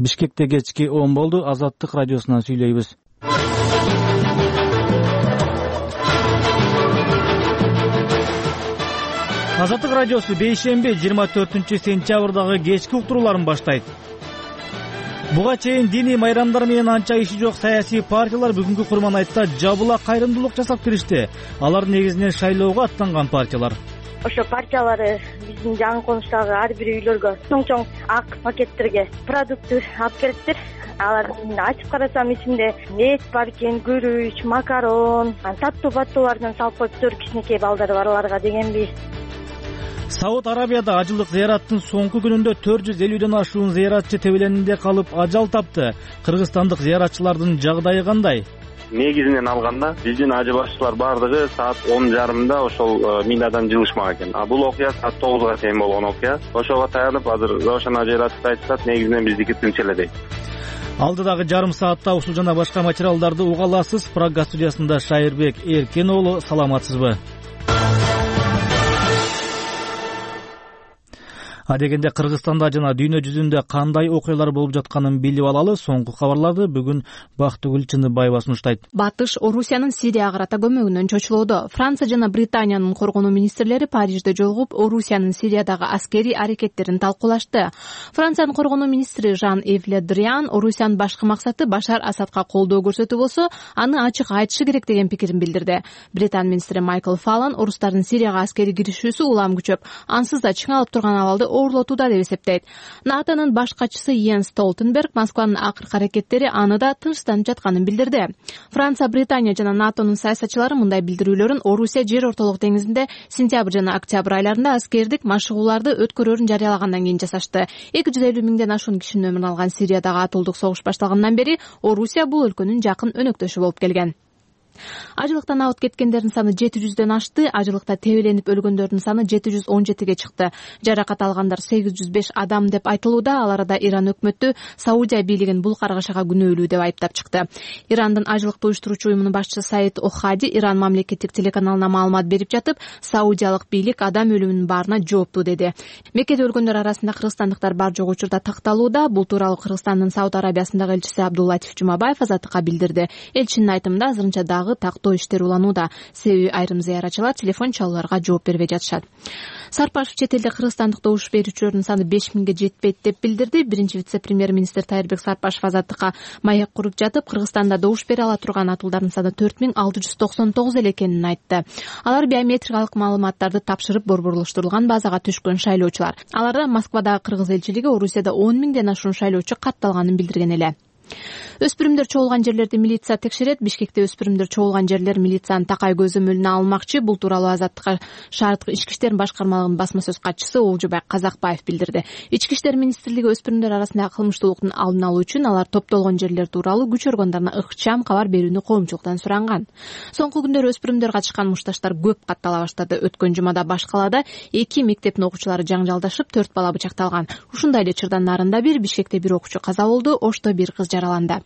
Бишкекте кечки 10 болду. Азаттык радиосунан сүйлөйбүз. Азаттык радиосу бейшемби 24-сентябрдагы кечки уктурууларын баштайт. Буга чейин диний майрамдар менен анча иши жок саясий партиялар бүгүнкү Курманайтта жабыла кайрымдуулук жасап киришти. Алар негизинен шайлоого аттанган партиялар. Ошо партиялары биздин жаңы конуштагы ар бир үйлөргө чоң ак пакеттерге продукт алып келиптир. Алар ачып карасам ичинде эт бар экен, күрүч, макарон, таттуу-баттуулардан салып коюптур. Кичинекей балдары барларга дегенби. Сауд Арабияда ажылык зыяраттын соңку күнүндө 450ден ашуун зыяратчы тебеленинде калып ажал тапты. Кыргызстандык зыяратчылардын жагдайы кандай? Негизинен алганда биздин ажы башчылар бардыгы саат 10:30 ошол минадан жылышмак экен. Бул окуя саат 9га чейин болгон окуя. Ошого таянып азыр Рошан ажы айтышат, негизинен биздики тынч эле дейт. Алдыдагы жарым саатта ушул жана башка материалдарды уга аласыз. Прага студиясында Шайырбек Эркен уулу, саламатсызбы? Адегенде Кыргызстанда жана дүйнө жүзүндө кандай окуялар болуп жатканын билип алалы. Соңку кабарларды бүгүн Бактыгүл Чындыбаева сунуштайт. Батыш Орусиянын Сирияга карата көмөгүнөн чочулоодо. Франция жана Британиянын коргонуу министрлери Парижде жолугуп, Орусиянын Сириядагы аскерий аракеттерин талкуулашты. Франциянын коргонуу министри Жан-Ив Ле Дриан Орусиянын башкы максаты Башар Асадка колдоо көрсөтүү болсо, аны ачык айтышы керек деген пикирин билдирди. Британ министри Майкл Фаллон Орустардын Сирияга аскерий киришүүсү улам күчөп, ансыз да чыңалып турган абалды оорулотууда деп эсептейт. НАТОнун баш катчысы Йенс Столтенберг Москванын акыркы аракеттери аны да тынчтанып жатканын билдирди. Франция, Британия жана НАТОнун саясатчылары мындай билдирүүлөрүн Орусия жер ортолук деңизинде сентябрь жана октябрь айларында аскердик машыгууларды өткөрөрүн жарыялагандан кийин жасашты. 250 миңден ашуун кишинин өмүрүн алган Сириядагы атуулдук согуш башталгандан бери Орусия бул өлкөнүн жакын өнөктөшү болуп келген. Ажылыктан абыт кеткендердин саны 700дөн ашты. Ажылыкта тебеленип өлгөндөрдүн саны 717ге чыкты. Жаракат алгандар 805 адам деп айтылууда. Ал арада Иран өкмөтү Саудия бийлигин бул каргышага күнөөлүү деп айыптап чыкты. Ирандын ажылыкты уюштуруучу уюмунун башчысы Саид Охади Иран мамлекеттик телеканалына маалымат берип жатып, саудиялык бийлик адам өлүмүнүн баарына жооптуу деди. Меккеде өлгөндөр арасында кыргызстандыктар бар жок учурда такталууда. Бул тууралуу Кыргызстандын Сауд Арабиясындагы элчиси Абдуллатиф Жумабаев Азаттыкка билдирди. Элчинин айтымында азырынча дагы тактоо иштери уланууда. Себеби айрым зыяратчылар телефон чалууларга жооп бербей жатышат. Сарпашев чет элде кыргызстандык добуш берүүчүлөрдүн саны 5000ге жетпейт деп билдирди. Биринчи вице-премьер-министр Тайырбек Сарпашев Азаттыкка маек куруп жатып, Кыргызстанда добуш бере ала турган атуулдардын саны 4699 эле экенин айтты. Алар биометрикалык маалыматтарды тапшырып борборлоштурулган базага түшкөн шайлоочулар. Аларда Москвадагы кыргыз элчилиги Орусияда 10 миңден ашуун шайлоочу катталганын билдирген эле. Өспүрүмдөр чогулган жерлерди милиция текшерет. Бишкекте өспүрүмдөр чогулган жерлер милициянын такай көзөмөлүнө алынмакчы. Бул тууралуу Азаттыкка шаардык ички иштер башкармалыгынын басма сөз катчысы Олжобай Казакбаев билдирди. Ички иштер министрлиги өспүрүмдөр арасындагы кылмыштуулуктун алдын алуу үчүн алар топтолгон жерлер тууралуу күч органдарына ыкчам кабар берүүнү коомчулуктан суранган. Соңку күндөр өспүрүмдөр катышкан мушташтар көп каттала баштады. Өткөн жумада баш калаада 2 мектептин окуучулары жаңжалдашып, 4 бала бычакталган. Ушундай эле Чырдан нарында Бишкекте бир окуучу каза болду, Ошто бир кыз жараланды.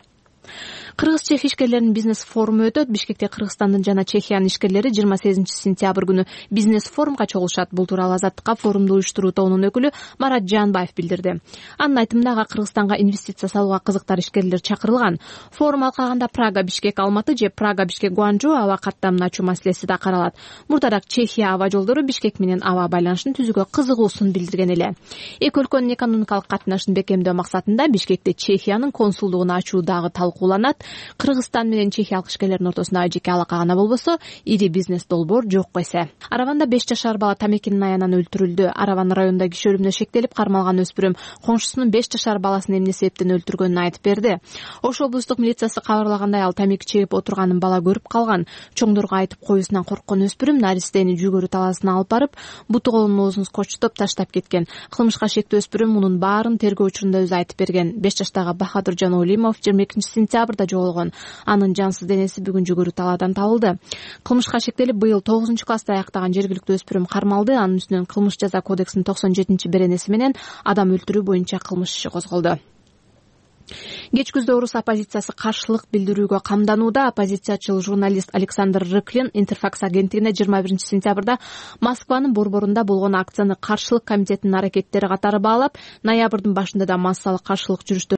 Кыргыз-чех ишкерлеринин бизнес форуму өтөт. Бишкекте Кыргызстандын жана Чехиянын ишкерлери 28-сентябрь күнү бизнес форумга чогулушат. Бул тууралуу Азаттыкка форумду уюштуруу тобунун өкүлү Марат Жанбаев билдирди. Анын айтымында Кыргызстанга инвестиция салууга кызыктар ишкерлер чакырылган. Форум алкагында Прага, Бишкек, Алматы же Прага, Бишкек, Гуанчжоу аба каттамын ачуу маселеси да каралат. Мурдараак Чехия аба жолдору Бишкек менен аба байланышын түзүүгө кызыгуусун билдирген эле. Эки өлкөнүн экономикалык катнашын бекемдөө максатында Бишкекте Чехиянын консулдугун ачуу дагы талкууланат. Кыргызстан менен чехиялык ишкерлердин ортосунда жеке алака гана болбосо, ири бизнес долбоор жок эсе. Араванда 5 жашар бала тамекинин аянан өлтүрүлдү. Араван районунда киши өлүмүнө шектелип кармалган өспүрүм коншусунун 5 жашар баласын эмне себептен өлтүргөнүн айтып берди. Ош облустук милициясы кабарлагандай, ал тамеки чегип отурганын бала көрүп калган. Чоңдорго айтып коюусунан корккон өспүрүм наристени жүгөрү талаасына алып барып, буту колунун оозун скотчтоп таштап кеткен. Кылмышка шектүү өспүрүм мунун баарын тергөө учурунда өзү айтып берген. 5 жаштагы Бахадуржан Олимов 22-сентябрда жоголгон. Анын жансыз денеси бүгүн жүгөрү талаадан табылды. Кылмышка шектелип быйыл 9-класста аяктаган жергиликтүү өспүрүм кармалды. Анын үстүнөн кылмыш жаза кодексинин 97-беренеси менен адам өлтүрүү боюнча кылмыш иши козголду. Кеч күздө орус оппозициясы каршылык билдирүүгө камданууда. Оппозициячыл журналист Александр Рыклин Интерфакс агенттигине 21-сентябрда Москванын борборунда болгон акцияны каршылык комитетинин аракеттери катары баалап, ноябрдын башында да массалык каршылык жүрүштөр